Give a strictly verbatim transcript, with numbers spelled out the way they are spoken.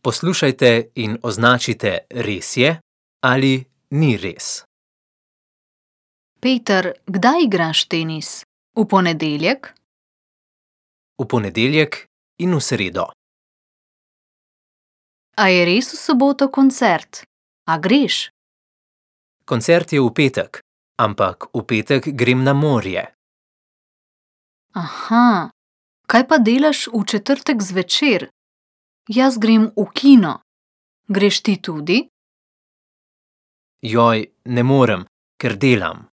Poslušajte in označite res je ali ni res. Peter, kdaj igraš tenis? V ponedeljek? V ponedeljek in v sredo. A je res v soboto koncert? A greš? Koncert je v petek, ampak v petek grem na morje. Aha, kaj pa delaš v četrtek zvečer? Jaz grem v kino. Greš ti tudi? Joj, ne morem, ker delam.